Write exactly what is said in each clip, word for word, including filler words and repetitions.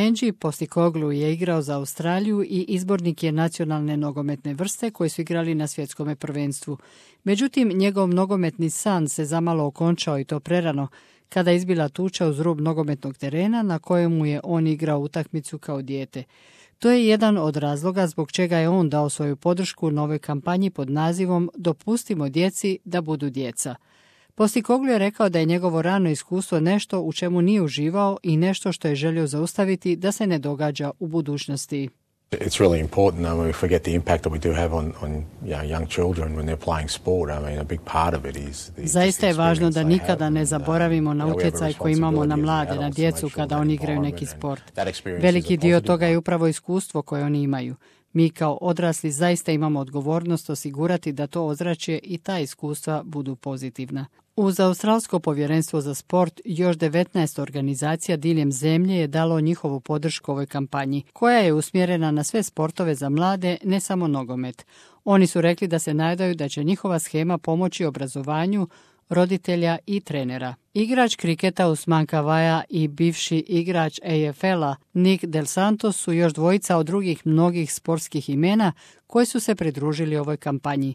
Ange Postecoglou je igrao za Australiju i izbornik je nacionalne nogometne vrste koji su igrali na svjetskom prvenstvu. Međutim, njegov nogometni san se zamalo okončao i to prerano, kada je izbila tuča uz rub nogometnog terena na kojemu je on igrao utakmicu kao dijete. To je jedan od razloga zbog čega je on dao svoju podršku novoj kampanji pod nazivom Dopustimo djeci da budu djeca. Postecoglou je rekao da je njegovo rano iskustvo nešto u čemu nije uživao i nešto što je želio zaustaviti da se ne događa u budućnosti. It's really important that we forget the impact that we do have on, on you know, young children when they're playing sport. I mean, a big part of it is the Zaista je važno da nikada ne zaboravimo na utjecaj koji imamo na mlade, na djecu kada oni igraju neki sport. Veliki dio toga je upravo iskustvo koje oni imaju. Mi kao odrasli zaista imamo odgovornost osigurati da to ozračje i ta iskustva budu pozitivna. Uz Australsko povjerenstvo za sport još devetnaest organizacija diljem zemlje je dalo njihovu podršku ovoj kampanji, koja je usmjerena na sve sportove za mlade, ne samo nogomet. Oni su rekli da se nadaju da će njihova shema pomoći obrazovanju roditelja i trenera. Igrač kriketa Usman Kavaja i bivši igrač A F L-a Nick Del Santos su još dvojica od drugih mnogih sportskih imena koji su se pridružili ovoj kampanji.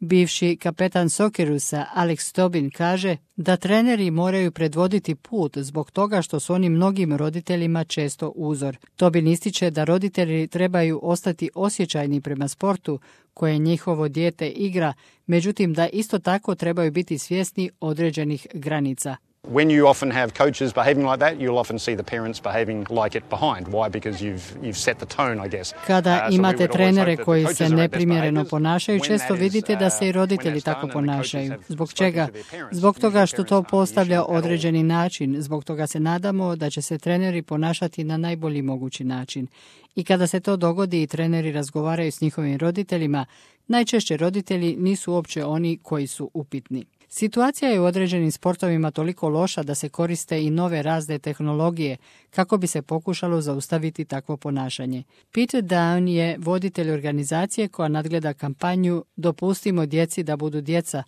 Bivši kapetan Soccerusa Alex Tobin kaže da treneri moraju predvoditi put zbog toga što su oni mnogim roditeljima često uzor. Tobin ističe da roditelji trebaju ostati osjećajni prema sportu koje njihovo dijete igra, međutim da isto tako trebaju biti svjesni određenih granica. When you often have coaches behaving like that, you'll often see the parents behaving like it behind. Why? Because you've you've set the tone, I guess. Kada imate trenere koji se neprimjereno ponašaju, često vidite da se i roditelji tako ponašaju. Zbog čega? Zbog toga što to postavlja određeni način. Zbog toga se nadamo da će se treneri ponašati na najbolji mogući način. I kada se to dogodi i treneri razgovaraju s njihovim roditeljima, najčešće roditelji nisu uopće oni koji su upitni. Situacija je u određenim sportovima toliko loša da se koriste i nove razne tehnologije kako bi se pokušalo zaustaviti takvo ponašanje. Peter Down je voditelj organizacije koja nadgleda kampanju Dopustimo djeci da budu djeca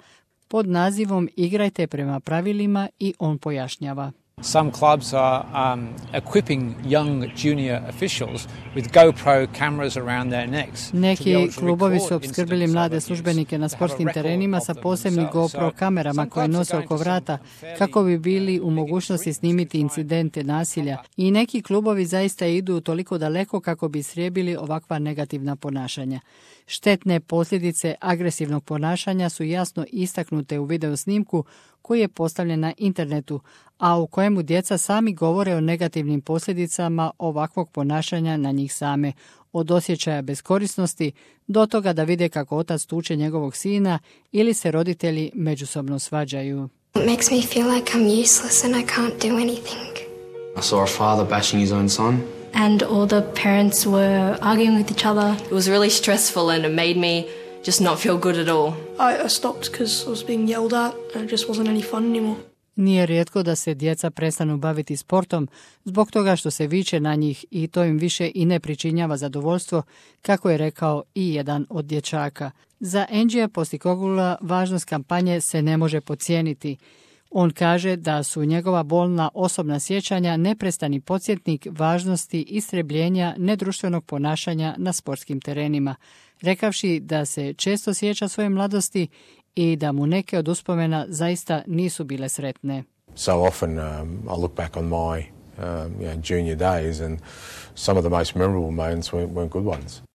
pod nazivom Igrajte prema pravilima i on pojašnjava. Some clubs are um, equipping young junior officials with GoPro cameras around their necks. Neki klubovi su opskrbili mlade službenike na sportskim terenima sa posebnim GoPro kamerama koje nose oko vrata kako bi bili u mogućnosti snimiti incidente nasilja. I neki klubovi zaista idu toliko daleko kako bi srijebili ovakva negativna ponašanja. Štetne posljedice agresivnog ponašanja su jasno istaknute u video snimku koji je postavljen na internetu, a u kojemu djeca sami govore o negativnim posljedicama ovakvog ponašanja na njih same, od osjećaja beskorisnosti do toga da vide kako otac tuče njegovog sina ili se roditelji međusobno svađaju. It makes me feel like I'm useless and I can't do anything. I saw a father bashing his own son. And all the parents were arguing with each other. It was really stressful and it made me just not feel good at all. I, I stopped because I was being yelled at and it just wasn't any fun anymore. Nije rijetko da se djeca prestanu baviti sportom zbog toga što se viče na njih i to im više i ne pričinjava zadovoljstvo, kako je rekao i jedan od dječaka. Za Angea Postecogloua važnost kampanje se ne može podcijeniti. On kaže da su njegova bolna osobna sjećanja neprestani podsjetnik važnosti istrebljenja nedruštvenog ponašanja na sportskim terenima, rekavši da se često sjeća svoje mladosti i da mu neke od uspomena zaista nisu bile sretne. So often um, I look back on my um, you know, junior days and some of the most memorable moments weren't, weren't good ones.